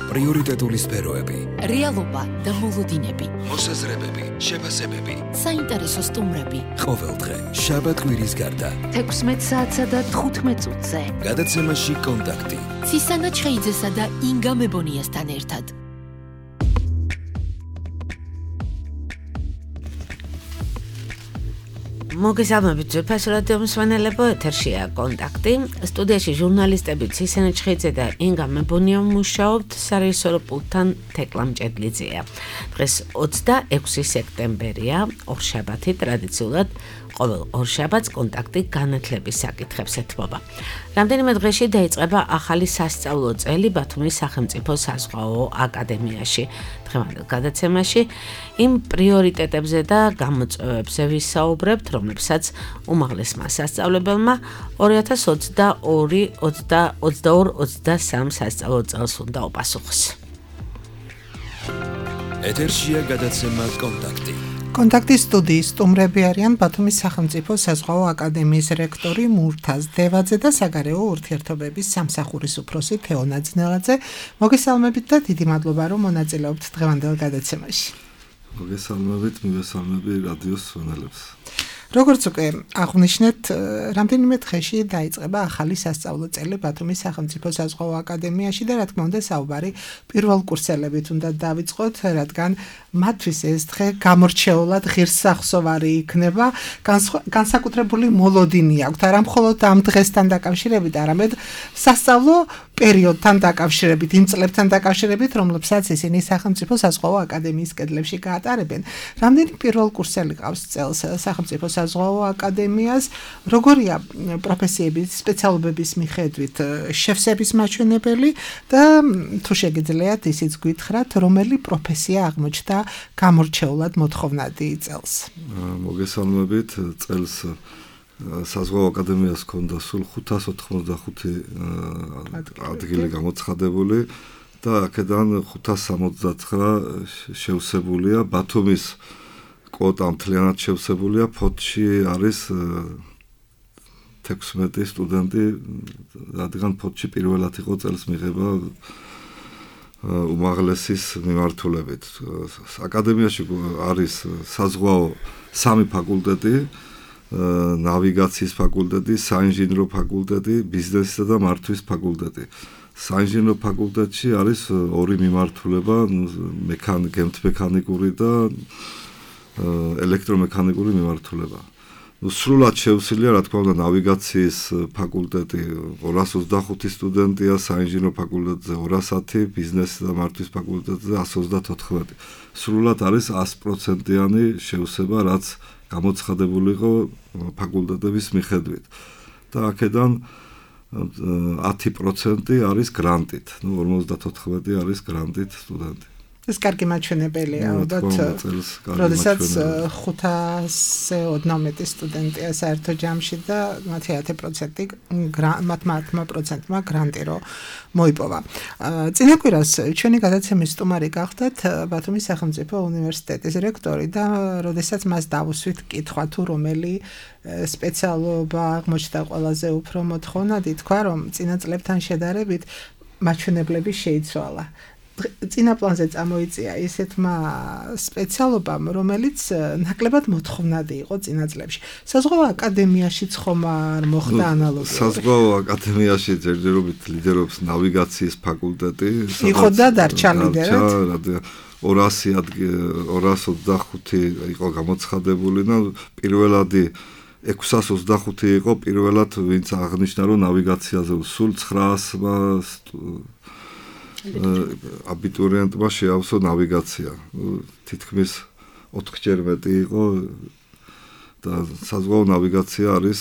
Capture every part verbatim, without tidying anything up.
პრიორიტეტული სფეროები, რეალობა და მოლოდინები, მოსაზრებები, შეფასებები, საინტერესო სტუმრები. ყოველდღე შაბათ-კვირის გარდა თექვსმეტ საათსა და თხუთმეტ წუთზე. გადაცემაში კონტაქტი. ცისანა ჩხეიძესა და ინგა მებონიასთან ერთად. მოგესალმებით ძვირფას რადიო მსმენელებო, ეთერშია კონტაქტი. სტუდიაში ჟურნალისტები ცისანა ჩხეიძე და ინგა მებონია მუშაობთ, სარეჟისორო პულტთან თეკლა მჭედლიძეა. დღეს ოცდაექვსი სექტემბერია, ორშაბათი, ტრადიციულად ყოველ ორშაბათს კონტაქტი განათლების საკითხებს ეთმობა. რამდენიმე დღეში დაიწყება ახალი სასწავლო წელი ბათუმის სახელმწიფო საზღვაო აკადემიაში. დღევანდელ გადაცემაში იმ პრიორიტეტებზე და გამოწვევებზე ვისაუბრებთ, რომლებსაც უმაღლესმა სასწავლებელმა ორი ათას ოცდაორი ოცდასამი სასწავლო წელს უნდა უპასუხოს. ეთერშია გადაცემა კონტაქტი. კონტაქტის სტუდიის სტუმრები არიან ბათუმის სახელმწიფო საზღვაო აკადემიის რექტორი მურთაზ დევაძე და საგარეო ურთიერთობების სამსახურის უფროსი თეო ნაძნელაძე. მოგესალმებით და დიდი მადლობა, რომ მონაწილეობთ დღევანდელ გადაცემაში. მოგესალმებით, მოგესალმები რადიოს მსმენელებს. როგორც უკვე აღვნიშნეთ, რამდენიმე დღეში დაიწყება ახალი სასწავლო წელი ბათუმის სახელმწიფო საზღვაო აკადემიაში და რა თქმა უნდა საუბარი პირველკურსელებით უნდა დავიწყოთ, რადგან მათთვის ეს დღე გამორჩეულად ღირსახსოვარი იქნება, განსაკუთრებული მოლოდინი აქვთ, არა მხოლოდ ამ დღესთან დაკავშირებით, არამედ სასწავლო პერიოდთან დაკავშირებით, იმ წლებთან დაკავშირებით, რომლებსაც ისინი სახელმწიფო საზღვაო აკადემიის კედლებში გაატარებენ. რამდენი პირველკურსელი ყავს წელს სახელმწიფო საზღვაო აკადემიას, როგორია პროფესიების, სპეციალობების მიხედვით შევსების მაჩვენებელი და თუ შეგიძლიათ ისიც გითხრათ, რომელი პროფესია აღმოჩნდა გამორჩეულად მოთხოვნადი წელს. მოგესალმებით, წელს საზღვაო აკადემიას ჰქონდა სულ ხუთას ოთხმოცდახუთი ადგილი გამოცხადებული და აქედან ხუთას სამოცდაცხრა შევსებულია. ბათუმის კვოტა მთლიანად შევსებულია, ფოთში არის თექვსმეტი სტუდენტი, რადგან ფოთში პირველად იყო წელს მიღება უმაღლესის მიმართულებით. აკადემიაში არის საზღვაო სამი ფაკულტეტი, ნავიგაციის ფაკულტეტი, საინჟინრო ფაკულტეტი, ბიზნესისა და მართვის ფაკულტეტი. საინჟინრო ფაკულტეტში არის ორი მიმართულება, გემთმექანიკური და ელექტრომექანიკური მიმართულება. ნუ სრულად შევსილია, რა თქმა უნდა, ნავიგაციის ფაკულტეტი ორას ოცდახუთი სტუდენტია, საინჟინრო ფაკულტეტზე ორას ათი, ბიზნესისა და მართვის ფაკულტეტზე ასი ოცდათოთხმეტი. სრულად არის ას პროცენტიანი შევსება, რაც გამოცხადებული იყო ფაკულტეტების მიხედვით. და აქედან ათი პროცენტი არის გრანტით. ნუ ორმოცდათოთხმეტი არის გრანტით სტუდენტი. ეს კარგი მაჩვენებელია, ალბათ, როდესაც ხუთასზე ოდნავ მეტი სტუდენტია საერთო ჯამში და მათი ათი პროცენტი მათმა პროცენტმა გრანტი რო მოიპოვა. წინა კვირას ჩვენი გადაცემის სტუმარი გახდათ ბათუმის სახელმწიფო უნივერსიტეტის რექტორი და როდესაც მას დავუსვით კითხვა თუ რომელი სპეციალობა აღმოჩნდა ყველაზე უფრო მოთხოვნადი, თქვა რომ წინა წლებთან შედარებით მაჩვენებლები შეიცვალა. წინა პლანზე წამოიწია ისეთმა სპეციალობამ, რომელიც ნაკლებად მოთხოვნადი იყო წინა წლებში. საზღვაო აკადემიაშიც ხომ არ მოხდა ანალოგია? საზღვაო აკადემიაში ჯერჯერობით ლიდერობს ნავიგაციის ფაკულტეტი. იყო და დარჩა ლიდერად? ორას ოცდახუთი იყო გამოცხადებული და პირველადი ექვსას ოცდახუთი იყო პირველად, ვინც აღნიშნა, რომ ნავიგაციაზე სულ ცხრაასმა აბიტურიენტმა შეავსო ნავიგაცია. თითქმის ოთხჯერ მეტი იყო და საზღვაო ნავიგაცია არის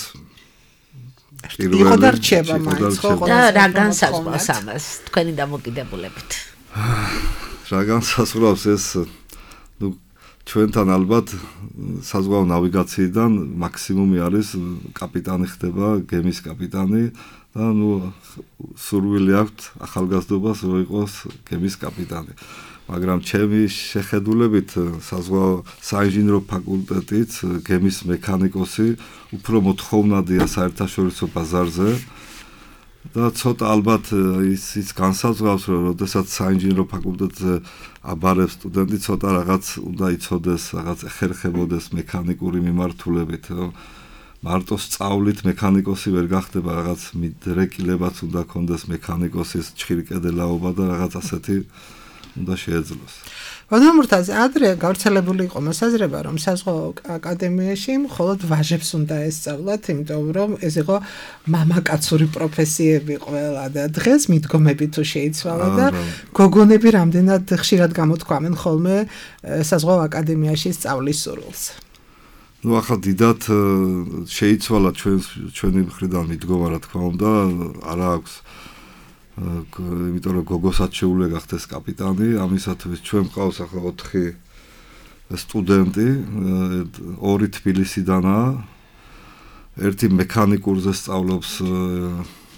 პირველი. იყო და რჩება მაინც, ხო? და რა განსაზღვრავს ამას თქვენი დამოკიდებულებით? რა განსაზღვრავს ეს, ნუ ჩვენთან ალბათ საზღვაო ნავიგაციიდან მაქსიმუმი არის კაპიტანი ხდება, გემის კაპიტანი და ნუ სურვილი აქვს ახალგაზრდობას რომ იყოს გემის კაპიტანი. მაგრამ ჩემი შეხედულებით საზღვაო საინჟინრო ფაკულტეტიც გემის მექანიკოსი უფრო მოთხოვნადია საერთაშორისო ბაზარზე და ცოტა ალბათ ის ის განსაზღვრავს, რომ როდესაც საინჟინრო ფაკულტეტზე აბარებს სტუდენტი, ცოტა რაღაც უნდა იცოდეს, რაღაც ეხერხებოდეს მექანიკური მიმართულებით, რომ მარტო სწავლით მექანიკოსი ვერ გახდება, რაღაც მიდრეკილებაც უნდა ქონდეს მექანიკოსის ჩხირკედელაობა და რაღაც ასეთი უნდა შეეძლოს. ბატონო მურთაზ, ადრე გავრცელებული იყო მოსაზრება, რომ საზღვაო აკადემიაში მხოლოდ ვაჟებს უნდა ესწავლათ, იმიტომ რომ ეს იყო მამაკაცური პროფესიები ყველა და დღეს მიდგომები თუ შეიცვალა და გოგონები რამდენად ხშირად გამოთქვამენ ხოლმე საზღვაო აკადემიაში სწავლის სურვილს. ნუ ახლა დიდად შეიცვალა ჩვენ ჩვენი მხრიდან მიდგომა, რა თქმა უნდა, არა აქვს იმიტომ რომ გოგოსაც შეუძლია გახდეს კაპიტანი, ამისათვის ჩვენ მყავს ახლა ოთხი სტუდენტი, ორი თბილისიდანაა, ერთი მექანიკურზე სწავლობს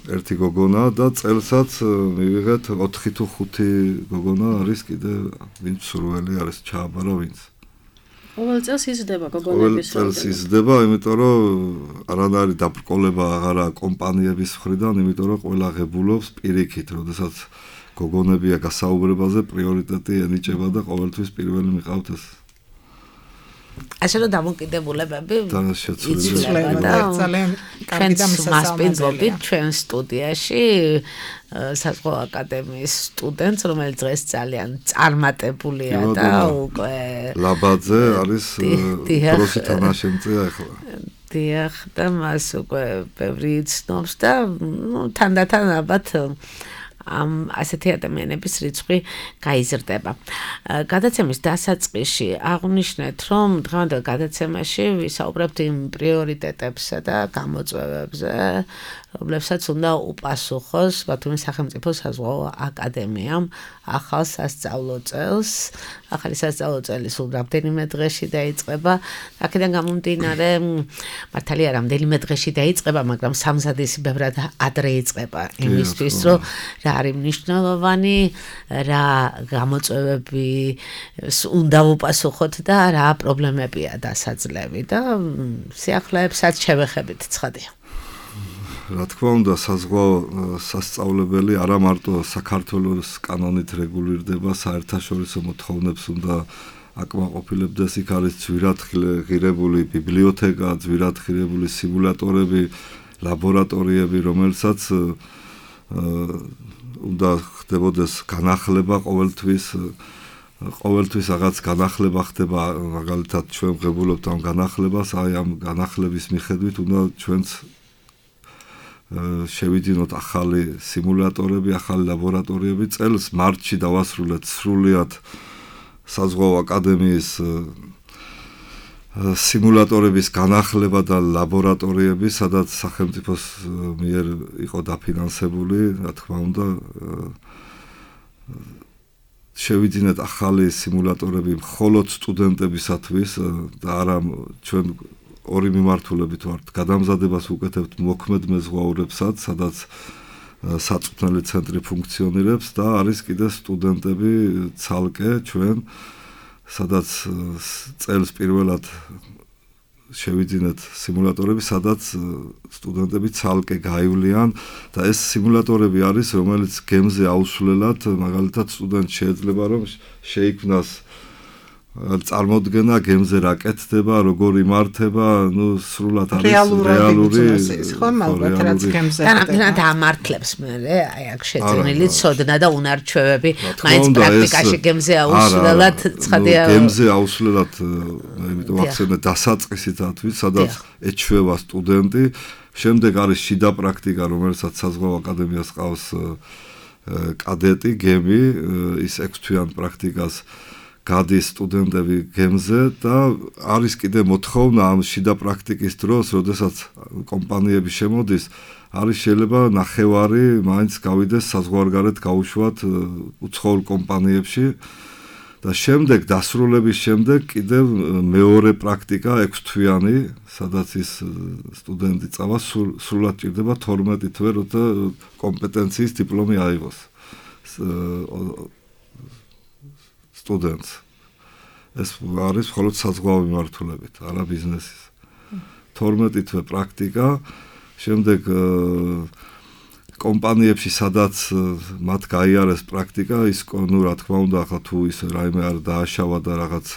ერთი გოგონა და წელსაც მივიღეთ ოთხი თუ ხუთი გოგონა არის კიდე ვინც სურველი არის ჩააბარა ვინც. ყოველ წელს იზრდება გოგონების რაოდენობა. ყოველ წელს იზრდება, იმიტომ რომ არანაირი დაბრკოლება აღარა კომპანიების მხრიდან, იმიტომ რომ ყველა ღებულობს პირიქით, როდესაც გოგონებია გასაუბრებაზე, პრიორიტეტი ენიჭება და ყოველთვის პირველი მიყავთ ეს. ასე რომ დამოკიდებულებები იცვლება და ძალიან კარგი და მასპინძლობით ჩვენ სტუდიაში საზღვაო აკადემიის სტუდენტს, რომელიც დღეს ძალიან წარმატებულია და უკვე ლაბაძე არის პროსი თანაშემწეა ახლა. დიახ, და მას უკვე ბევრი იცნობს და ნუ თანდათან ალბათ ამ ასეთი ადამიანების რიცხვი გაიზრდება. გადაცემის დასაწყისში აღვნიშნეთ, რომ დღევანდელ გადაცემაში ვისაუბრებთ იმ პრიორიტეტებსა და გამოწვევებზე, რომლებსაც უნდა უპასუხოს ბათუმის სახელმწიფო საზღვაო აკადემიამ ახალ სასწავლო წელს. ახალი სასწავლო წელი სულ რამდენიმე დღეში დაიწყება. აქედან გამომდინარე, მართალია რამდენიმე დღეში დაიწყება, მაგრამ სამზადისი ბევრად ადრე იწყება იმისთვის, რომ რა არის მნიშვნელოვანი, რა გამოწვევები უნდა უპასუხოთ და რა პრობლემებია დასაძლევი და სიახლეებსაც შევეხებით, ცხადია. რა თქმა უნდა, საზღვაო სასწავლებელი არა მარტო საქართველოს კანონით რეგულირდება, საერთაშორისო მოთხოვნებს უნდა აკმაყოფილებდეს, იქ არის ძვირად ღირებული ბიბლიოთეკა, ძვირად ღირებული სიმულატორები, ლაბორატორიები, რომელსაც უნდა ხდებოდეს განახლება ყოველთვის, ყოველთვის რაღაც განახლება ხდება, მაგალითად ჩვენ ვღებულობთ ამ განახლებას, აი ამ განახლების მიხედვით უნდა ჩვენც შევიძინოთ ახალი სიმულატორები, ახალი ლაბორატორიები. წელს მარტში დავასრულეთ სრულიად საზღვაო აკადემიის სიმულატორების განახლება და ლაბორატორიები, სადაც სახელმწიფოს მიერ იყო დაფინანსებული, რა თქმა უნდა, შევიძინეთ ახალი სიმულატორები მხოლოდ სტუდენტებისათვის და არა ჩვენ ორი მიმართულებით ვართ. გადამზადებას ვუკეთებთ მოქმედ მეზღვაურებსაც, სადაც საწვრთნელი ცენტრი ფუნქციონირებს და არის კიდე სტუდენტები ცალკე ჩვენ, სადაც წელს პირველად შევიძინეთ სიმულატორები, სადაც სტუდენტები ცალკე გაივლიან და ეს სიმულატორები არის, რომელიც გემზე აუსვლელად, მაგალითად სტუდენტს შეიძლება რომ შეიქმნას წარმოდგენა გემზე რა კეთდება, როგორ იმართება, ნუ სრულად არის რეალური ხო, ალბათ რაც გემზე და ამართლებს მე, აი აქ შეძენილი ცოდნა და უნარჩვევები, მაინც პრაქტიკაში გემზე აუსვლელად ცხადია. გემზე აუსვლელად, იმიტომ ახსენე დასაწყისითათვის, სადაც ეჩვევა სტუდენტი, შემდეგ არის შიდა პრაქტიკა, რომელსაც საზღვაო აკადემიას ყავს კადეტი, გემი, ის ექვსთვიან პრაქტიკას გადის სტუდენტები გემზე და არის კიდე მოთხოვნა ამ შიდა პრაქტიკის დროს, როდესაც კომპანიები შემოდის, არის შეიძლება ნახევარი მაინც გავიდეს საზღვარგარეთ გაუშვათ უცხოურ კომპანიებში და შემდეგ დასრულების შემდეგ კიდევ მეორე პრაქტიკა ექვსთვიანი, სადაც ის სტუდენტი წავა სრულად ჭირდება თორმეტი თვე, როცა კომპეტენციის დიპლომი აიღოს. სტუდენტს. ეს არის მხოლოდ საზღვაო მიმართულებით, არა ბიზნესის. თორმეტი თვე პრაქტიკა, შემდეგ კომპანიებში სადაც მათ გაიარეს პრაქტიკა, ის ნუ რა თქმა უნდა, ახლა თუ ის რაიმე არ დააშავა და რაღაც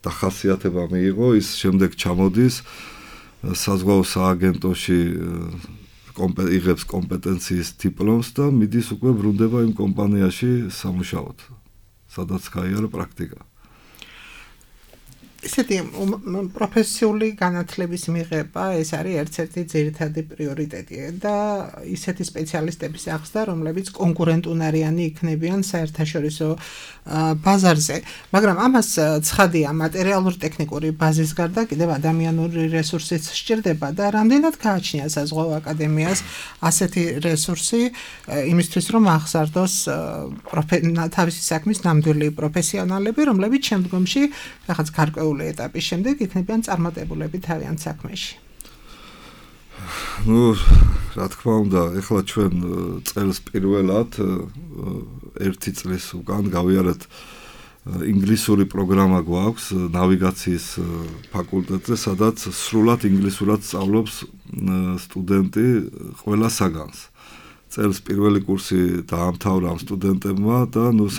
დახასიათება მიიღო, ის შემდეგ ჩამოდის საზღვაო სააგენტოში იღებს კომპეტენციის დიპლომს და მიდის უკვე ბრუნდება იმ კომპანიაში სამუშაოდ, სადაც გაიარა პრაქტიკა. ისეთი პროფესიული განათლების მიღება ეს არის ერთ-ერთი ძირითადი პრიორიტეტი და ისეთი სპეციალისტების აღზრდა, რომლებიც კონკურენტუნარიანი იქნებიან საერთაშორისო ბაზარზე, მაგრამ ამას ცხადია მატერიალურ-ტექნიკური ბაზის გარდა კიდევ ადამიანური რესურსიც სჭირდება და რამდენად გააჩნია საზღვაო აკადემიას ასეთი რესურსი იმისთვის, რომ აღზარდოს თავისი საქმის ნამდვილი პროფესიონალები, რომლებიც შემდგომში რაღაც გარკვეულ ეტაპის შემდეგ იქნებიან წარმატებულები თავიანთ საქმეში. Ну, რა თქმა უნდა, ეხლა ჩვენ წელს პირველად ერთი წლის უკან გავიარეთ ინგლისური პროგრამა გვაქვს ნავიგაციის ფაკულტეტზე, სადაც სრულად ინგლისურად სწავლობს სტუდენტი ყველა საგანს. წელს პირველი კურსი დაამთავრა ამ სტუდენტებმა და ნუ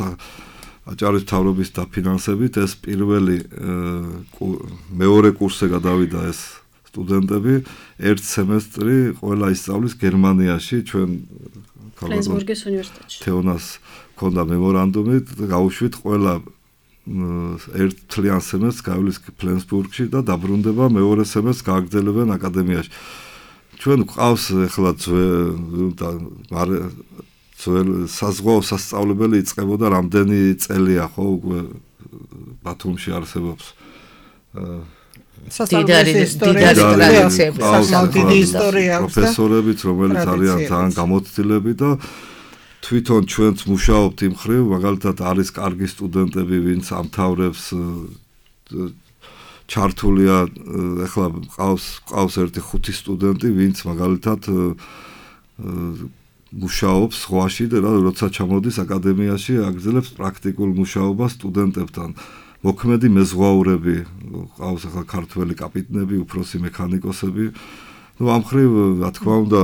აჭარის მთავრობის დაფინანსებით ეს პირველი მეორე კურსზე გადავიდა ეს სტუდენტები, ერთ სემესტრი ყველა ისწავლის გერმანიაში, ჩვენ ფლენსბურგის უნივერსიტეტში. თეონას ქონდა მემორანდუმი და გავუშვით ყველა ერთ თლიან სემესტრს გავლის ფლენსბურგში და დაბრუნდება მეორე სემესტრს გააგრძელებენ აკადემიაში. ჩვენ გვყავს ახლა ძველ საზღვაო სასწავლებელი იწყებოდა რამდენი წელია ხო უკვე ბათუმში არსებობს დიდარი დიდი ისტორია აქვს პროფესორებიც რომელიც არიან ძალიან გამოცდილები და თვითონ ჩვენც მუშაობთ იმ ხრივ მაგალითად არის კარგი სტუდენტები ვინც ამთავრებს ჩართულია ახლა ყავს ყავს ერთი ხუთი სტუდენტი ვინც მაგალითად მუშაობს სხვაში და როცა ჩამოდის აკადემიაში აგრძელებს პრაქტიკულ მუშაობას სტუდენტებთან. მოქმედი მეზღვაურები, ყავს ახლა ქართველი კაპიტნები, უფროსი მექანიკოსები. ნუ ამ ხრივ, რა თქმა უნდა,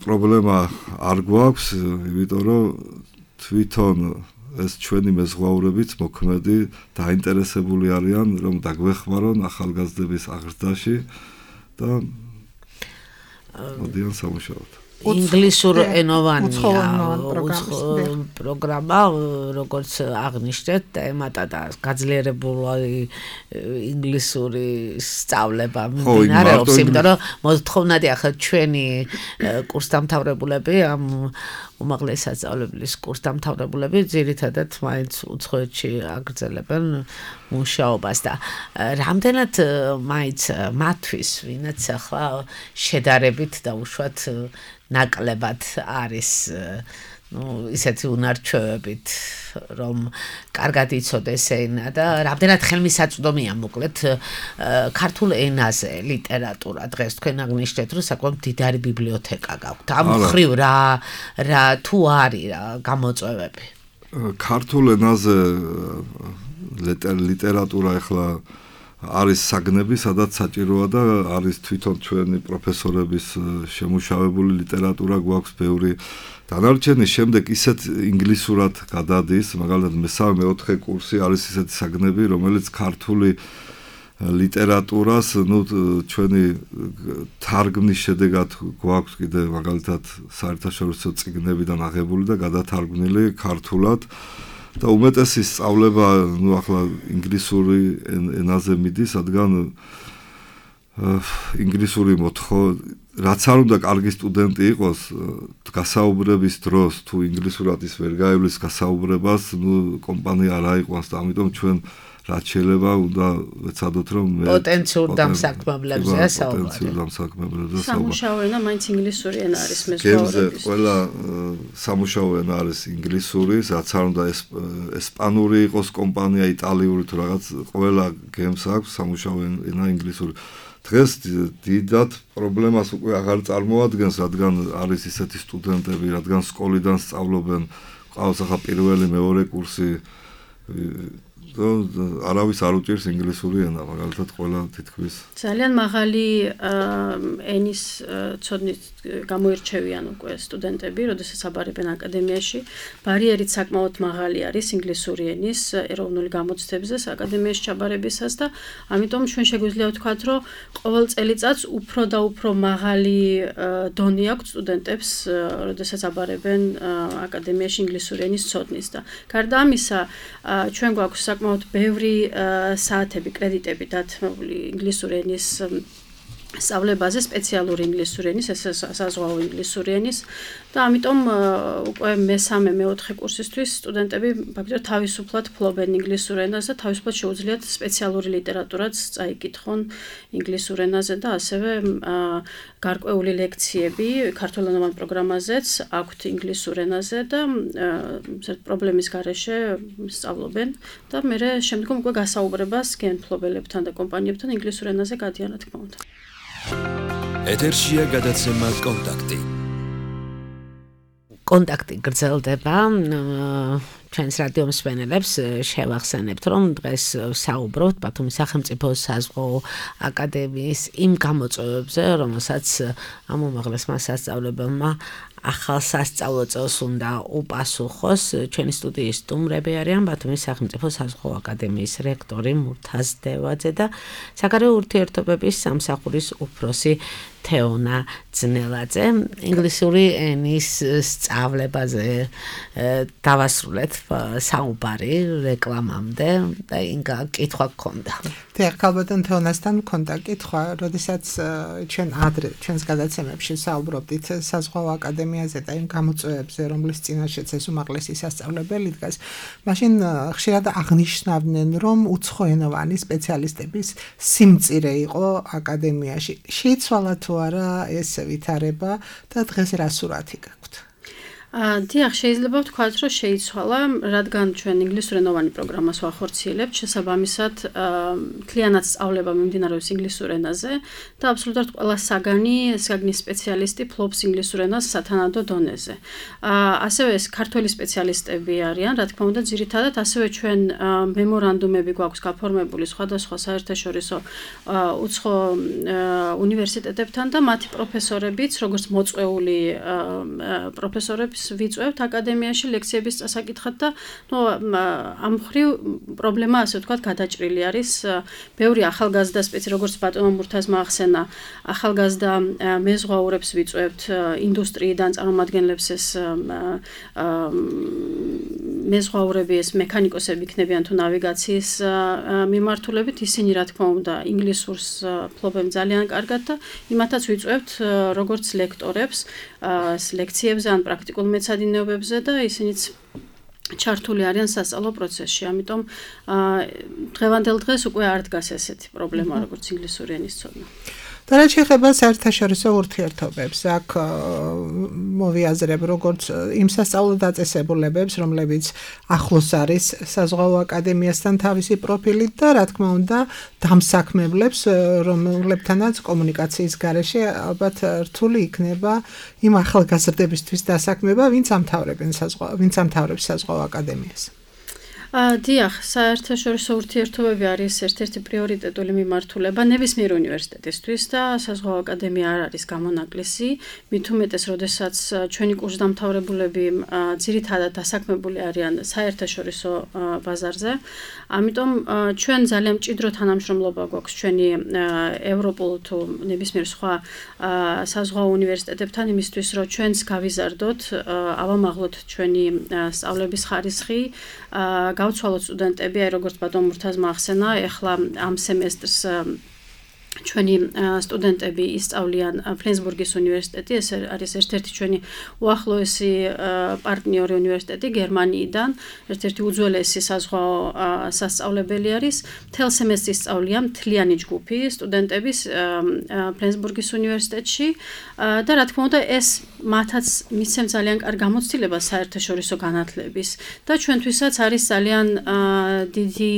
პრობლემა არ გვაქვს, იმიტომ რომ თვითონ ეს ჩვენი მეზღვაურებიც მოქმედი დაინტერესებული არიან, რომ დაგვეხმარონ ახალგაზრდების აღზრდაში და მოდიან სამუშაოდ. ინგლისურ ენოვანია პროგრამა, როგორც აღნიშნეთ, ემატა და გაძლიერებული ინგლისური სწავლება მიმდინარეობს, იმიტომ რომ მოთხოვნადი ახლა ჩვენი კურსდამთავრებულები ამ უმაღლესი სასწავლებლის კურსდამთავრებულები ძირითადად მაინც უცხოეთში აგრძელებენ მუშაობას და რამდენად მაინც მათთვის, ვინაც ახლა შედარებით და უშუალოდ ნაკლებად არის ну ისეთი უნარჩვევებით რომ კარგად იცოდეს ენა და რამდენად ხელმისაწვდომია მოკლედ ქართულ ენაზე ლიტერატურა დღეს თქვენ აღნიშნეთ რომ საკმაოდ დიდარი ბიბლიოთეკა გაქვთ ამ ხრივ რა რა თუ არის რა გამოწვევები ქართულ ენაზე ლიტერატურა ახლა არის საგნები, სადაც საჭიროა და არის თვითონ ჩვენი პროფესორების შემუშავებული ლიტერატურა გვაქვს ბევრი. დანარჩენი შემდეგ ისეთ ინგლისურად გადადის, მაგალითად მესამე მეოთხე კურსი არის ისეთი საგნები, რომელიც ქართული ლიტერატურას, ну, ჩვენი თარგმნის შედეგად გვაქვს კიდე მაგალითად საერთაშორისო წიგნებიდან აღებული და გადათარგმნილი ქართულად. და უმეტესი სწავლება, ну, ახლა ინგლისური ენაზე მიდის, რადგან ინგლისური მოთხო, რაც არ უნდა კარგი სტუდენტი იყოს, გასაუბრების დროს თუ ინგლისურად ის ვერ გაივლის გასაუბრებას, ну, კომპანია არ აიყვანს და ამიტომ ჩვენ რაც შეიძლება უნდა ვეცადოთ რომ პოტენციურ დამსაქმებლებზეა საუბარი. პოტენციურ დამსაქმებლებზეა საუბარი. სამუშაო ენა მაინც ინგლისური ენა არის მეზღვაურების. ყველა სამუშაო ენა არის ინგლისური, რაც არ უნდა ესპანური იყოს კომპანია, იტალიური თუ რაღაც, ყველა გემს აქვს სამუშაო ენა ინგლისური. დღეს დიდად პრობლემას უკვე აღარ წარმოადგენს, რადგან არის ისეთი სტუდენტები, რადგან სკოლიდან სწავლობენ, ყავს ახლა პირველი მეორე კურსი არავის არ უჭირს ინგლისური ენა, მაგალითად ყველა თითქმის ძალიან მაღალი ენის ცოდნით გამოირჩევიან უკვე სტუდენტები, როდესაც აბარებენ აკადემიაში. ბარიერით საკმაოდ მაღალი არის ინგლისური ენის ეროვნული გამოცდებზე აკადემიაში ჩაბარებისას და ამიტომ ჩვენ შეგვიძლია ვთქვათ, რომ ყოველ წელიწადს უფრო და უფრო მაღალი დონე აქვს სტუდენტებს, როდესაც აბარებენ აკადემიაში ინგლისური ენის ცოდნის და გარდა ამისა, ჩვენ გვაქვს საკმაოდ ბევრი საათები, კრედიტები დათმობილი ინგლისური ენის სწავლებაზე, სპეციალური ინგლისური ენის, საზღვაო ინგლისური ენის და ამიტომ უკვე მესამე, მეოთხე კურსისთვის სტუდენტები ფაქტობრივად თავისუფლად ფლობენ ინგლისურ ენას და თავისუფლად შეუძლიათ სპეციალური ლიტერატურაც წაიკითხონ ინგლისურ ენაზე და ასევე გარკვეული ლექციები ქართულენოვან პროგრამაზეც აქვთ ინგლისურ ენაზე და პრობლემის გარეშე სწავლობენ და მერე შემდგომ უკვე გასაუბრებას გემთმობელებთან და კომპანიებთან ინგლისურ ენაზე გადიან, რა თქმა უნდა. ეთერშია გადაცემა კონტაქტი. კონტაქტი გრძელდება. ჩვენს რადიო მსმენელებს შევახსენებთ, რომ დღეს საუბრობთ ბათუმის სახელმწიფო საზღვაო აკადემიის იმ გამოწვევებზე, რომელსაც ამ უმაღლესმა სასწავლებელმა ახალ სასწავლო წელს უნდა უპასუხოს. ჩვენი სტუდიის სტუმრები არიან ბათუმის სახელმწიფო საზღვაო აკადემიის რექტორი მურთაზ დევაძე და საგარეო ურთიერთობების სამსახურის უფროსი თეონა ძნელაძე. ინგლისური ენის სწავლებაზე დავასრულეთ საუბარი რეკლამამდე და ინგა კითხვა გქონდა. დიახ, ალბათ თეონასთან მქონდა კითხვა, როდესაც ჩვენ ადრე ჩვენს გადაცემებში საუბრობდით საზღვაო აკადემიაზე და იმ გამოწვევებზე, რომლის წინაშეც ეს უმაღლესი სასწავლებელი დგას, მაშინ ხშირად აღნიშნავდნენ, რომ უცხოენოვანი სპეციალისტების სიმწირე იყო აკადემიაში. შეიცვალა თუ არა ეს ვითარება და დღეს რა სურათი გაქვთ? დიახ, შეიძლება ვთქვათ, რომ შეიცვალა, რადგან ჩვენ ინგლისურენოვანი პროგრამას ვახორციელებთ, შესაბამისად, მთლიანად სწავლება მიმდინარეობს ინგლისურ ენაზე და აბსოლუტურად ყველა საგანი, საგნის სპეციალისტი ფლობს ინგლისურ ენას სათანადო დონეზე. ასევე ეს ქართველი სპეციალისტები არიან, რა თქმა უნდა, ძირითადად ასევე ჩვენ მემორანდუმები გვაქვს გაფორმებული სხვადასხვა საერთაშორისო უცხო უნივერსიტეტებთან და მათი პროფესორებიც, როგორც მოწვეული პროფესორები ვიწევთ აკადემიაში ლექციების წასაკითხად და ნუ ამ მხრივ პრობლემა ასე ვთქვათ გადაჭრილი არის. ბევრი ახალგაზრდა სპეცი როგორც ბატონო მურთაზმა ახსენა, ახალგაზრდა მეზღვაურებს ვიწევთ ინდუსტრიიდან წარმომადგენლებს ეს მეზღვაურები ეს მექანიკოსები იქნებიან თუ ნავიგაციის მიმართულებით, ისინი რა თქმა უნდა ინგლისურს ფლობენ ძალიან კარგად და იმათაც ვიწევთ როგორც ლექტორებს ლექციებზე ან პრაქტიკულ მეცადინეობებზე და ისინიც ჩართული არიან სასწავლო პროცესში. ამიტომ დღევანდელ დღეს უკვე არ დგას ესეთი პრობლემა როგორც ინგლისური ენის ცოდნა. და რაც შეეხება საერთაშორისო ურთიერთობებს, აქ მოვიაზრებ როგორც იმ სასწავლო დაწესებულებებს, რომლებიც ახლოს არის საზღვაო აკადემიასთან თავისი პროფილით და რა თქმა უნდა დამსაქმებლებს, რომლებთანაც კომუნიკაციის გარეშე ალბათ რთული იქნება იმ ახალგაზრდებისთვის დასაქმება, ვინც ამთავრებენ საზღვაო, ვინც ამთავრებს საზღვაო აკადემიას. დიახ, საერთაშორისო ურთიერთობები არის ერთ-ერთი პრიორიტეტული მიმართულება ნებისმიერ უნივერსიტეტისთვის და საზღვაო აკადემია არ არის გამონაკლისი, მით უმეტეს, როდესაც ჩვენი კურსდამთავრებულები ძირითადად დასაქმებული არიან საერთაშორისო ბაზარზე. ამიტომ ჩვენ ძალიან მჭიდრო თანამშრომლობა გვაქვს ჩვენი ევროპულ თუ ნებისმიერ სხვა საზღვაო უნივერსიტეტებთან იმისთვის, რომ ჩვენს გავიზარდოთ, ავამაღლოთ ჩვენი სწავლების ხარისხი, გავცვალოთ სტუდენტები, აი როგორც ბატონ მურთაზმა ახსენა, ეხლა ამ სემესტრს ჩვენი სტუდენტები ისწავლიან ფლენსბურგის უნივერსიტეტი, ეს არის ერთ-ერთი ჩვენი უახლოესი პარტნიორი უნივერსიტეტი გერმანიიდან, ერთ-ერთი უძველესი საზღვაო სასწავლებელი არის. მთელ სემესტრის სწავლიან მთლიანი ჯგუფი სტუდენტების ფლენსბურგის უნივერსიტეტში და რა თქმა უნდა ეს მათაც მისცემ ძალიან კარგ გამოცდილებას საერთაშორისო განათლების და ჩვენთვისაც არის ძალიან დიდი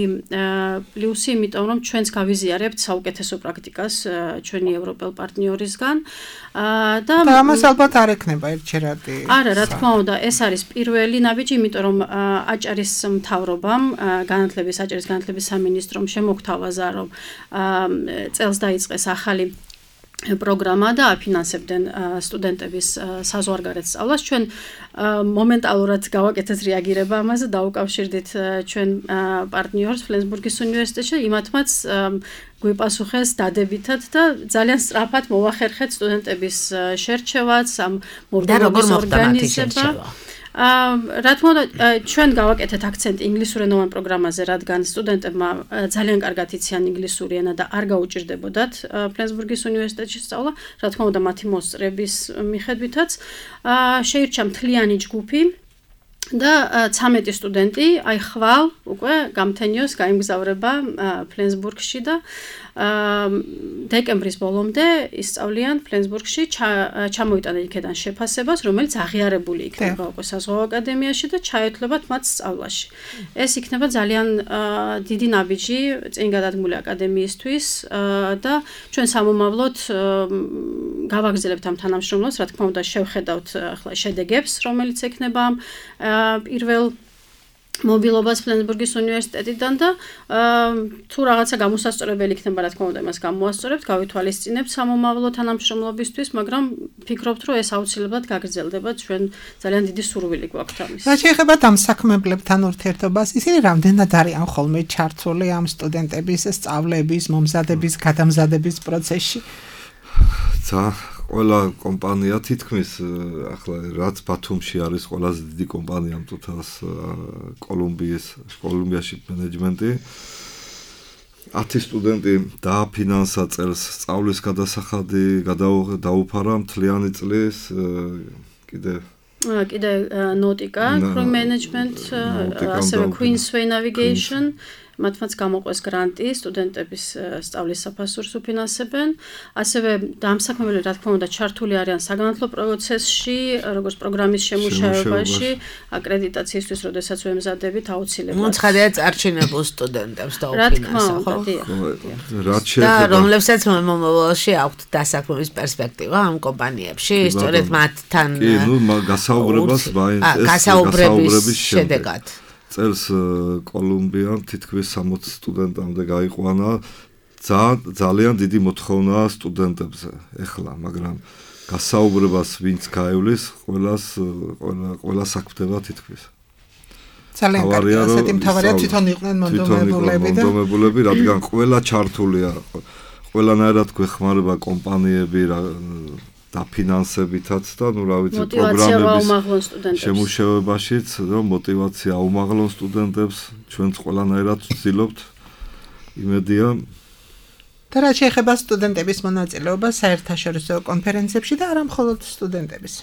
პლუსი, იმიტომ რომ ჩვენც გავიზიარებთ საუკეთესო პრაქტიკას ჩვენი ევროპელ პარტნიორისგან და ამას ალბათ არ ექნება ერთჯერადი. არა, რა თქმა უნდა, ეს არის პირველი ნაბიჯი, იმიტომ რომ აჭარის მთავრობამ, განათლების აჭარის განათლების სამინისტრომ შემოგთავაზა, რომ წელს დაიწყეს ახალი პროგრამა და აფინანსებდნენ სტუდენტების საზღვარგარეთ სწავლას. ჩვენ მომენტალურად გავაკეთეთ რეაგირება ამაზე, დაუკავშირდით ჩვენ პარტნიორს ფლენსბურგის უნივერსიტეტში, იმათმაც გვიპასუხეს დადებითად და ძალიან სწრაფად მოვახერხეთ სტუდენტების შერჩევაც, ამ მობილობის ორგანიზება. რა თქმა უნდა, ჩვენ გავაკეთეთ აქცენტი ინგლისურენოვან პროგრამაზე, რადგან სტუდენტებმა ძალიან კარგად იციან ინგლისური ენა და არ გაუჭირდებოდათ ფლენსბურგის უნივერსიტეტში სწავლა, რა თქმა უნდა, მათი მოსწრების მიხედვითაც. შეირჩა მთლიანი ჯგუფი და ცამეტი სტუდენტი, აი ხვალ უკვე გამთენიოს გაიმგზავრება ფლენსბურგში და დეკემბრის ბოლომდე ისწავლიან ფლენსბურგში, ჩამოიტანენ იქიდან შეფასებას, რომელიც აღიარებული იქნება უკვე საზღვაო აკადემიაში და ჩაეთვლებათ მათ სწავლაში. ეს იქნება ძალიან დიდი ნაბიჯი წინ გადადგმული აკადემიისთვის და ჩვენ სამომავლოდ გავაგრძელებთ ამ თანამშრომლობას, რა თქმა უნდა, შევხედავთ ახლა შედეგებს, რომელიც ექნება პირველ მობილობას ფლენსბურგის უნივერსიტეტიდან და თუ რაღაცა გამოსასწორებელი იქნება, რა თქმა უნდა, იმას გამოასწორებთ, გავითვალისწინებთ სამომავლო თანამშრომლობისთვის, მაგრამ ფიქრობთ, რომ ეს აუცილებლად გაგრძელდება, ჩვენ ძალიან დიდი სურვილი გვაქვთ ამის. რა შეეხება ამ საქმეებლებთან ურთიერთობას, ისინი რამდენად არიან ხოლმე ჩართული ამ სტუდენტების სწავლების, მომზადების, გადამზადების პროცესში? ცა ყველა კომპანია თითქმის ახლა რაც ბათუმში არის ყველაზე დიდი კომპანია მწუთას კოლუმბიის კოლუმბიაში მენეჯმენტი ათი სტუდენტი დააფინანსა წელს სწავლის გადასახადი დაუფარა მთლიანი წლის კიდე კიდე ნოტიკა crew management ასევე Queensway navigation მათმაც გამოყვეს გრანტი სტუდენტების სწავლის საფასურს უფინანსებენ ასევე დამსაქმებელი რა თქმა უნდა ჩართული არიან საგანათლო პროცესში როგორც პროგრამის შემუშავებაში აკრედიტაციისთვის როდესაც ვემზადებით აუცილებლად მოცხადია წარჩინებულ სტუდენტებს დაუფინანსა ხო რა და რომლებსაც მომავალში აქვთ დასაქმების პერსპექტივა ამ კომპანიებში სწორედ მათთან კი ნუ გასაუბრებას ეს გასაუბრების შედეგად წელს კოლუმბიამ თითქმის სამოცი სტუდენტამდე გაიყვანა ძალიან დიდი მოთხოვნაა სტუდენტებზე ეხლა, მაგრამ გასაუბრებას ვინც გაივლის, ყველას ყველა საქმდება თითქმის. ძალიან კარგი, ასეთი მთავარია თვითონ იყვნენ მონდომებულები და მონდომებულები, რადგან ყველა ჩართულია, ყველანაირად გვეხმარება კომპანიები დაფინანსებითაც და ნუ რა ვიცი პროგრამების შემუშავებაშიც რომ мотиваცია აუმაღლონ სტუდენტებს ჩვენც ყველანაირად ვცდილობთ იმედია და რა შეეხება სტუდენტების მონაწილეობას საერთაშორისო კონფერენციებში და არა მხოლოდ სტუდენტების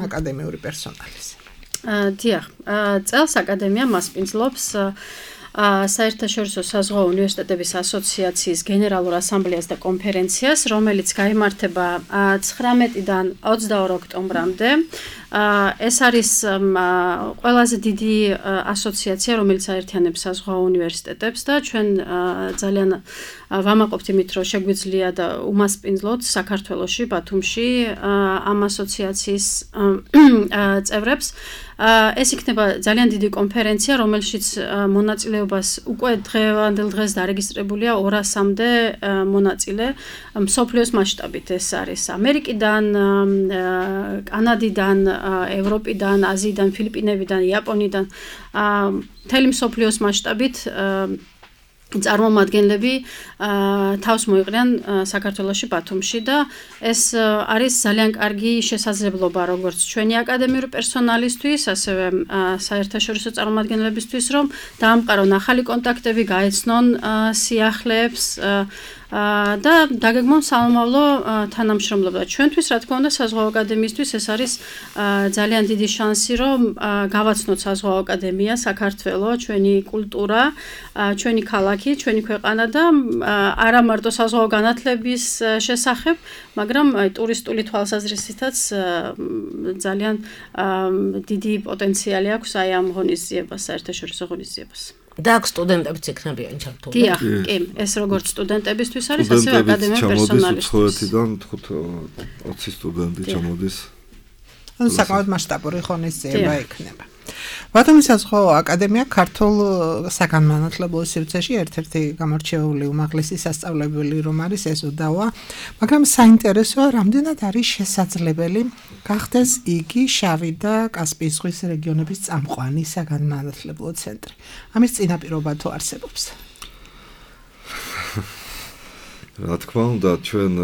აკადემიური პერსონალის დიახ წელს აკადემია მასპინძლობს საერთაშორისო საზღვაო უნივერსიტეტების ასოციაციის გენერალურ ასამბლეას და კონფერენციას, რომელიც გაიმართება ცხრამეტიდან ოცდაორ ოქტომბრამდე. ეს არის ყველაზე დიდი ასოციაცია, რომელიც აერთიანებს საზღვაო უნივერსიტეტებს და ჩვენ ძალიან ვამაყობთ იმით, რომ შეგვიძლია და უმასპინძლოთ საქართველოში, ბათუმში ამ ასოციაციის წევრებს. ეს იქნება ძალიან დიდი კონფერენცია, რომელშიც მონაწილეობას უკვე დღევანდელ დღეს დარეგისტრებულია ორასამდე მონაწილე მსოფლიოს მასშტაბით ეს არის ამერიკიდან, კანადიდან, ევროპიდან, აზიიდან, ფილიპინებიდან, იაპონიიდან, მთელი მსოფლიოს მასშტაბით წარმომადგენლები თავს მოიყრიან საქართველოში ბათუმში და ეს არის ძალიან კარგი შესაძლებლობა როგორც ჩვენი აკადემიური პერსონალისთვის, ასევე საერთაშორისო წარმომადგენლებისთვის, რომ დაამყარონ ახალი კონტაქტები, გაეცნონ სიახლეებს და დაგეგმონ სამომავლო თანამშრომლობა. ჩვენთვის, რა თქმა უნდა, საზღვაო აკადემიისთვის ეს არის ძალიან დიდი შანსი, რომ გავაცნოთ საზღვაო აკადემია, საქართველო, ჩვენი კულტურა, ჩვენი ქალაქი, ჩვენი ქვეყანა და არა მარტო საზღვაო განათლების შესახებ, მაგრამ ტურისტული თვალსაზრისითაც ძალიან დიდი პოტენციალი აქვს აი ამ ღონისძიებას, საერთაშორისო ღონისძიებას. და აქ სტუდენტებიც იქნებიან ჩართული. დიახ, კი, ეს როგორც სტუდენტებისთვის არის, ასევე აკადემიურ პერსონალისთვის. უცხოეთიდან ოცი სტუდენტი ჩამოდის. ანუ საკმაოდ მასშტაბური ღონისძიება იქნება. ბათუმის საზღვაო აკადემია ქართულ საგანმანათლებლო სივრცეში ერთ-ერთი გამორჩეული უმაღლესი სასწავლებელი რომ არის ეს უდავა, მაგრამ საინტერესოა, რამდენად არის შესაძლებელი გახდეს იგი შავი და კასპიის ზღვის რეგიონების წამყვანი საგანმანათლებლო ცენტრი. ამის წინაპირობა თუ არსებობს? რა თქმა უნდა, ჩვენ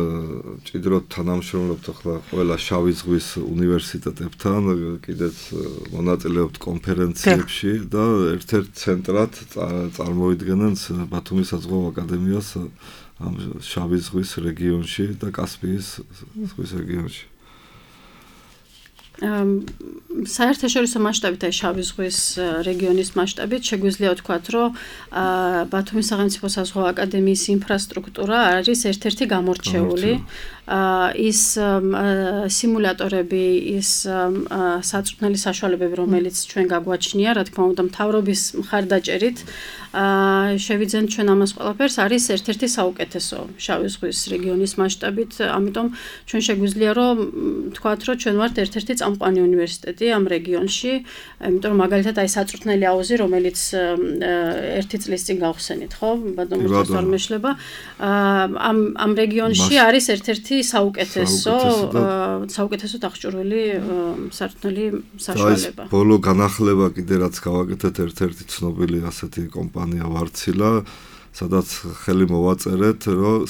ჭიდროდ თანამშრომლებთ ახლა ყველა შავი ზღვის უნივერსიტეტებთან, კიდეც მონაწილეობთ კონფერენციებში და ერთ-ერთ ცენტრად წარმოიდგენენ ბათუმის საზღვაო აკადემიას ამ შავი ზღვის რეგიონში და კასპიის ზღვის რეგიონში. საერთაშორისო მასშტაბით აი შავი ზღვის რეგიონის მასშტაბით შეგვიძლია ვთქვათ, რომ ბათუმის სახელმწიფო საზღვაო აკადემიის ინფრასტრუქტურა არის ერთ-ერთი გამორჩეული. ის სიმულატორები, ის საწვრთნელი საშუალებები, რომელიც ჩვენ გაგვაჩნია, რა თქმა უნდა, მთავრობის მხარდაჭერით შევიძენ ჩვენ ამას ყველაფერს, არის ერთ-ერთი საუკეთესო შავი ზღვის რეგიონის მასშტაბით, ამიტომ ჩვენ შეგვიძლია რომ ვთქვათ, რომ ჩვენ ვართ ერთ-ერთი წამყვანი უნივერსიტეტი ამ რეგიონში, იმიტომ რომ მაგალითად აი საწვრთნელი აუზი, რომელიც ერთი წლის წინ გავხსენით, ხო? ბატონო წარმოშლება, ამ ამ რეგიონში არის ერთ-ერთი საუკეთესო საუკეთესო დახჭურვილი საწვრთნელი საშუალება. ეს ბოლო განახლება კიდე რაც გავაკეთეთ ერთ-ერთი ცნობილი ასეთი კომპანია ვარცილა, სადაც ხელი მოვაწერეთ, რომ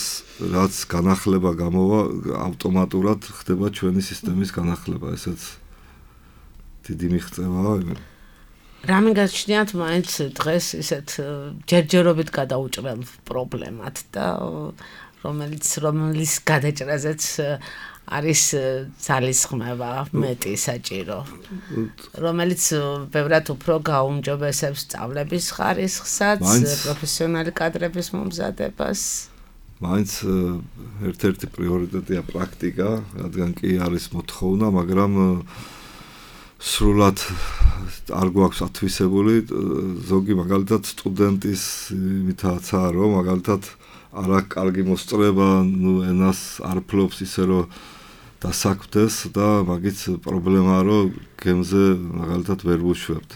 რაც განახლება გამოვა, ავტომატურად ხდება ჩვენი სისტემის განახლება, ესეც დიდი მიღწევაა. რამე გაჩნიათ მაინც დღეს ისეთ ჯერჯერობით გადაუჭრელ პრობლემად და რომელიც რომლის გადაჭრაზეც არის ძალისხმევა მეტი საჭირო, რომელიც ბევრად უფრო გაუმჯობესებს სწავლების ხარისხსაც, პროფესიონალი კადრების მომზადებას. მაინც ერთ-ერთი პრიორიტეტია პრაქტიკა, რადგან კი არის მოთხოვნა, მაგრამ სრულად არ გვაქვს ათვისებული, ზოგი მაგალითად სტუდენტის იმითაცაა, რომ მაგალითად არა კარგი მოსწრება, ნუ ენას არ ფლობს ისე რომ დასაქმდეს და მაგით პრობლემაა, რომ გემზე მაგალითად ვერ ვუშვებთ.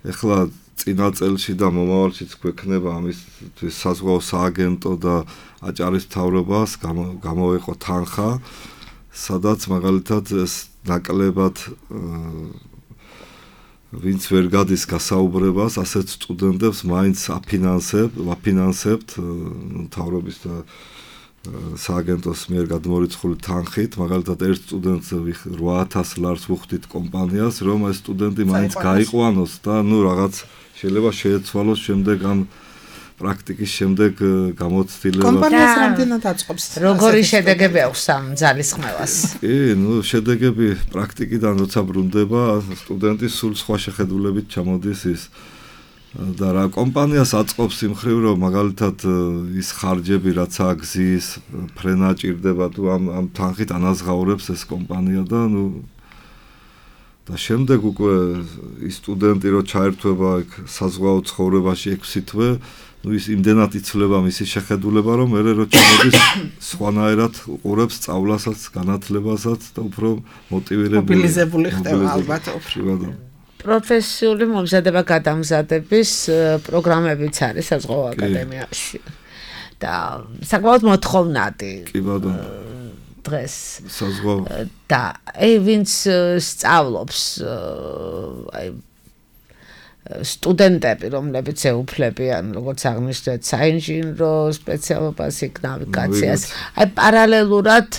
ეხლა წინა წელში და მომავალშიც გვექნება ამისთვის საზღვაო სააგენტო და აჭარის მთავრობას გამოვიყო თანხა, სადაც მაგალითად ეს ნაკლებად ვინც ვერ გადის გასაუბრებას, ასეთ სტუდენტებს მაინც აფინანსებთ, ვაფინანსებთ მთავრობის და სააგენტოს მიერ გადმორიცხული თანხით, მაგალითად ერთ სტუდენტზე რვა ათას ლარს ვუხდით კომპანიას, რომ ეს სტუდენტი მაინც გაიყვანოს და ნუ რაღაც შეიძლება შეეცვალოს შემდეგ ამ პრაქტიკის შემდეგ გამოცდილება. კომპანიას რამდენად აწყობს? როგორი შედეგები აქვს ამ ძალისხმევას? კი, ნუ შედეგები პრაქტიკიდან როცა ბრუნდება, სტუდენტი სულ სხვა შეხედულებით ჩამოდის ის და რა კომპანიას აწყობს იმ ხრივ, რომ მაგალითად ის ხარჯები რაც აგზის, ფრენა ჭირდება თუ ამ ამ თანხით ანაზღაურებს ეს კომპანია და ნუ და შემდეგ უკვე ის სტუდენტი რო ჩაერთვება იქ საზღვაო ცხოვრებაში ექვსი თვე, ნუ ის იმდენად იცვლება მისი შეხედულება, რომ მერე რო ჩამოდის სხვანაირად უყურებს სწავლასაც, განათლებასაც და უფრო მოტივირებული მობილიზებული ხდება ალბათ. პროფესიული მომზადება გადამზადების პროგრამებიც არის საზღვაო აკადემიაში. და საკმაოდ მოთხოვნადი. კი ბატონო. დღეს საზღვაო და აი ვინც სწავლობს აი სტუდენტები, რომლებიც ეუფლებიან, როგორც აღნიშნეთ, საინჟინრო სპეციალობას, იქ ნავიგაციას. აი პარალელურად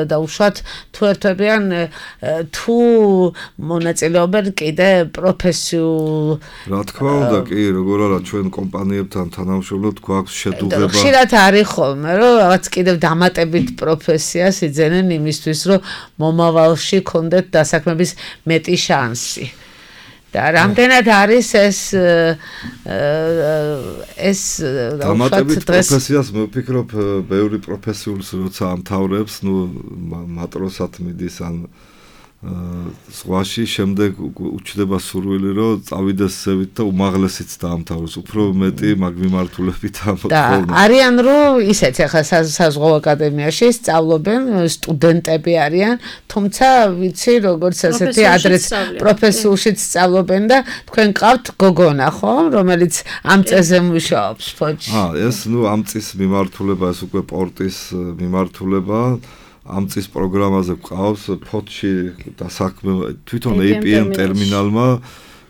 და უშუალოდ თუ ერთვებიან თუ მონაწილეობენ კიდე პროფესიულ რა თქმა უნდა, კი, როგორ არა ჩვენ კომპანიებთან თანამშრომლობთ, გვაქვს შედუღება. ხშირად არის ხოლმე, რომ რაღაც კიდევ დამატებით პროფესიას იძენენ იმისთვის, რომ მომავალში კონდეთ დასაქმების მეტი შანსი. და რამდენად არის ეს ეს დამატებით პროფესიას მე ვფიქრობ ბევრი პროფესიულს როცა ამთავრებს, ნუ მატროსად მიდის ან ზღვაში, შემდეგ უჩნდება სურვილი, რომ წავიდეს ზევით და უმაღლესიც დაამთავროს, უფრო მეტი მაგ მიმართულებით ამოთხოვნა. და არიან რომ ისეთ ახლა საზღვაო აკადემიაში სწავლობენ, სტუდენტები არიან, თუმცა ვიცი როგორც ასეთი ადრეს პროფესიულშიც სწავლობენ და თქვენ ყავთ გოგონა, ხო, რომელიც ამ წესზე მუშაობს ფოჩი. აა, ეს ნუ ამ წის მიმართულება, ეს უკვე პორტის მიმართულება. ამ წის პროგრამაზე გვყავს ფოთში დასაქმება თვითონ ეი პი ემ ტერმინალმა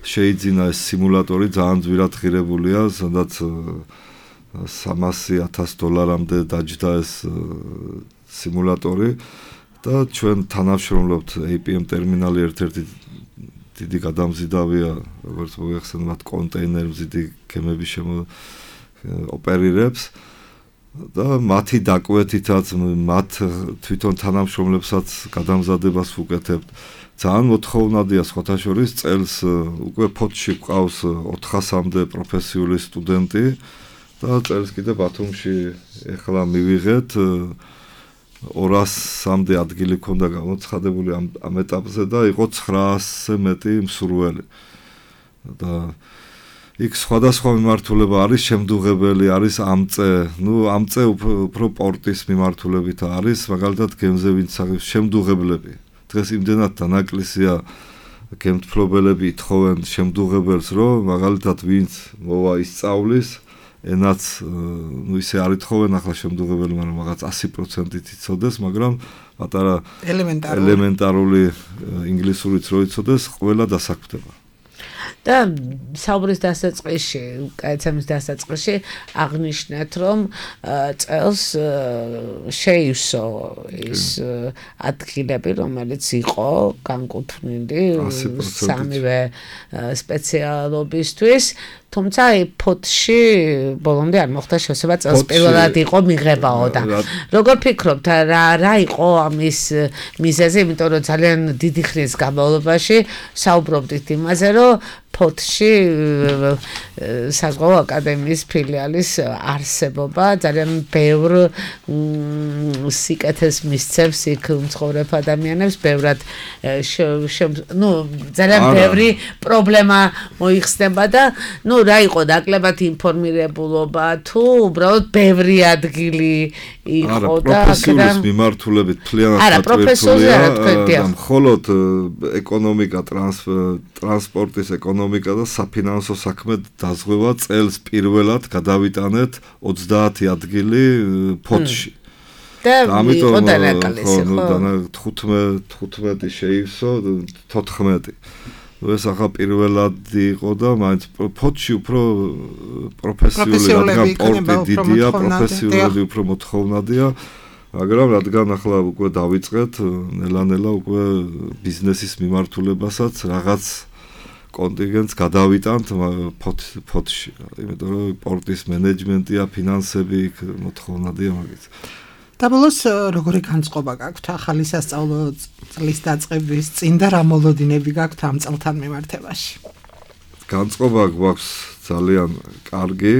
შეიძინა ეს სიმულატორი ძალიან ძვირად ღირებულია, სადაც სამასი ათას დოლარამდე დაჯდა ეს სიმულატორი და ჩვენ თანამშრომლობთ ეი პი ემ ტერმინალი ერთ-ერთი დიდი გადამზიდავია, როგორც მოგეხსენებათ, კონტეინერმზიდი გემები შემო ოპერირებს. და მათი დაკვეთითაც მათ თვითონ თანამშრომლებსაც გადამზადებას ვუკეთებთ. ძალიან მოთხოვნადია სხვათა შორის წელს უკვე ფოთში გვყავს ოთხასამდე პროფესიული სტუდენტი და წელს კიდე ბათუმში ეხლა მივიღეთ ორასამდე ადგილი ქონდა გამოცხადებული ამ ამ ეტაპზე და იყო ცხრაასზე მეტი მსურველი. და იქ სხვადასხვა მიმართულება არის, შემდუღებელი არის ამწე, ნუ ამწე უფრო პორტის მიმართულებით არის, მაგალითად გემზე ვინც შემდუღებლები. დღეს იმდენად დანაკლისია გემთფლობელები ითხოვენ შემდუღებელს, რომ მაგალითად ვინც მოვა ისწავლის, ენაც ნუ ისე არ ითხოვენ ახლა შემდუღებელი, მაგრამ რაღაც ასი პროცენტით იცოდეს, მაგრამ პატარა ელემენტარული ინგლისურიც რო იცოდეს, ყველა დასაქმდება. და საუბრის დასაწყისში, კაცემის დასაწყისში აღნიშნეთ, რომ წელს შეივსო ის ადგილები, რომელიც იყო განკუთვნილი სამივე სპეციალობისთვის, თუმცა ფოთში ბოლომდე არ მოხდა შესაძლოა წელს პირველად იყო მიღებაო და როგორ ფიქრობთ, რა რა იყო ამის მიზეზი, იმიტომ რომ ძალიან დიდი ხნის განმავლობაში საუბრობდით იმაზე, რომ ფოთში საზღვაო აკადემიის ფილიალის არსებობა ძალიან ბევრ სიკეთეს მისცემს იქ მცხოვრებ ადამიანებს, ბევრად ნუ ძალიან ბევრი პრობლემა მოიხსნება და ნუ რა იყო ნაკლებად ინფორმირებულობა თუ უბრალოდ ბევრი ადგილი იყო და პროფესიულის მიმართულებით მთლიანად დატვირთულია და მხოლოდ ეკონომიკა, ტრანსპორტის ეკონომიკა და საფინანსო საქმე დაზღვევა წელს პირველად გადავიტანეთ ოცდაათი ადგილი ფოთში. და ამიტომ თხუთმეტი შეივსო, თოთხმეტი. ეს ახლა პირველად იყო და მაინც ფოთში უფრო პროფესიული, რადგან პორტი დიდია, პროფესიულები უფრო მოთხოვნადია, მაგრამ რადგან ახლა უკვე დავიწყეთ, ნელა-ნელა უკვე ბიზნესის მიმართულებასაც რაღაც კონტინგენტს გადავიტანთ ფოთში, იმიტომ რომ პორტის მენეჯმენტია, ფინანსები მოთხოვნადია მაგით. და ბოლოს როგორი განწყობა გაქვთ ახალი სასწავლო წლის დაწყების წინ და რა მოლოდინები გაქვთ ამ წელთან მიმართებაში? განწყობა გვაქვს ძალიან კარგი,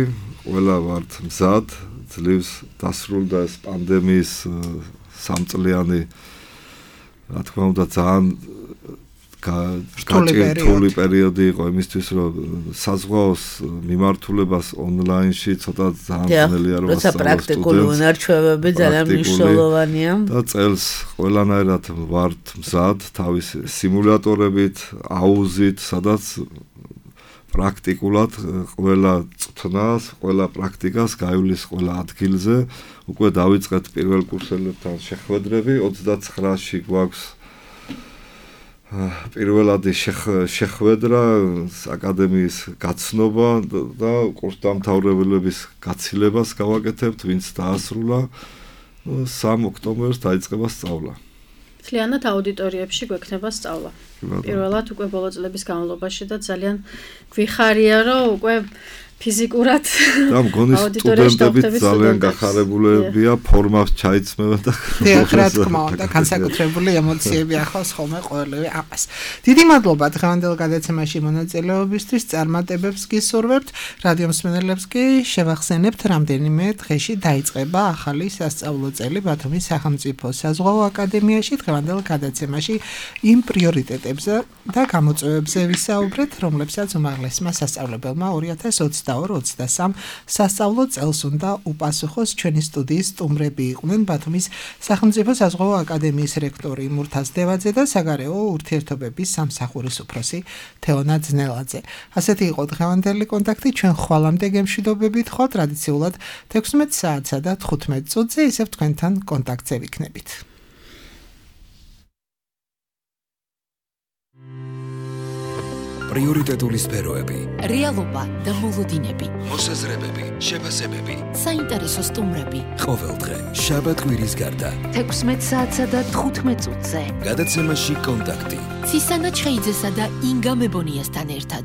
ყველა ვართ მზად, ძლივს დასრულდა ეს პანდემიის სამწლიანი, რა თქმა უნდა, ძალიან გაჭირთული პერიოდი იყო იმისთვის, რომ საზღვაოს მიმართულებას ონლაინში ცოტა ძალიან ძნელია რომ როცა პრაქტიკული უნარჩვევები ძალიან მნიშვნელოვანია. და წელს ყველანაირად ვართ მზად თავის სიმულატორებით, აუზით, სადაც პრაქტიკულად ყველა წვნას, ყველა პრაქტიკას გაივლის ყველა ადგილზე. უკვე დავიწყეთ პირველ კურსელებთან შეხვედრები, ოცდაცხრაში გვაქვს პირველადი შეხვედრა, აკადემიის გაცნობა და კურსდამთავრებელების გაცილებას გავაკეთებთ, ვინც დაასრულა. სამ ოქტომბერს დაიწყება სწავლა. მთლიანად აუდიტორიებში გვექნება სწავლა. პირველად უკვე ბოლო წლების განმავლობაში და ძალიან გვიხარია, რომ უკვე ფიზიკურად და მგონი სტუდენტები ძალიან გახარებულებია, ფორმას ჩაიცმევენ და დიახ, რა თქმა უნდა, განსაკუთრებული ემოციები ახლავს ხოლმე ყოველივე ამას. დიდი მადლობა დღევანდელ გადაცემაში მონაწილეობისთვის, წარმატებებს გისურვებთ. რადიო მსმენელებს კი შევახსენებთ, რამდენიმე დღეში დაიწყება ახალი სასწავლო წელი ბათუმის სახელმწიფო საზღვაო აკადემიაში. დღევანდელ გადაცემაში იმ პრიორიტეტებზე და გამოწვევებზე ვისაუბრეთ, რომლებსაც უმაღლესმა სასწავლებელმა ორი ათას ოცდაორი ოცდასამ სასწავლო წელს უნდა უპასუხოს. ჩვენი სტუდიის სტუმრები იყვნენ ბათუმის სახელმწიფო საზღვაო აკადემიის რექტორი მურთაზ დევაძე და საგარეო ურთიერთობების სამსახურის უფროსი თეონა ძნელაძე. ასეთი იყო დღევანდელი კონტაქტი. ჩვენ ხვალამდე გემშვიდობებით ხო ტრადიციულად თექვსმეტ საათსა და თხუთმეტ წუთზე ისევ თქვენთან კონტაქტზე ვიქნებით. პრიორიტეტული სფეროები, რეალობა და მოლოდინები, მოსაზრებები, შეფასებები, საინტერესო სტუმრები. ყოველდღე, შაბათ-კვირის გარდა. თექვსმეტ საათსა და თხუთმეტ წუთზე. გადაცემაში კონტაქტი. ცისანა ჩხეიძესა და ინგა მებონიასთან ერთად.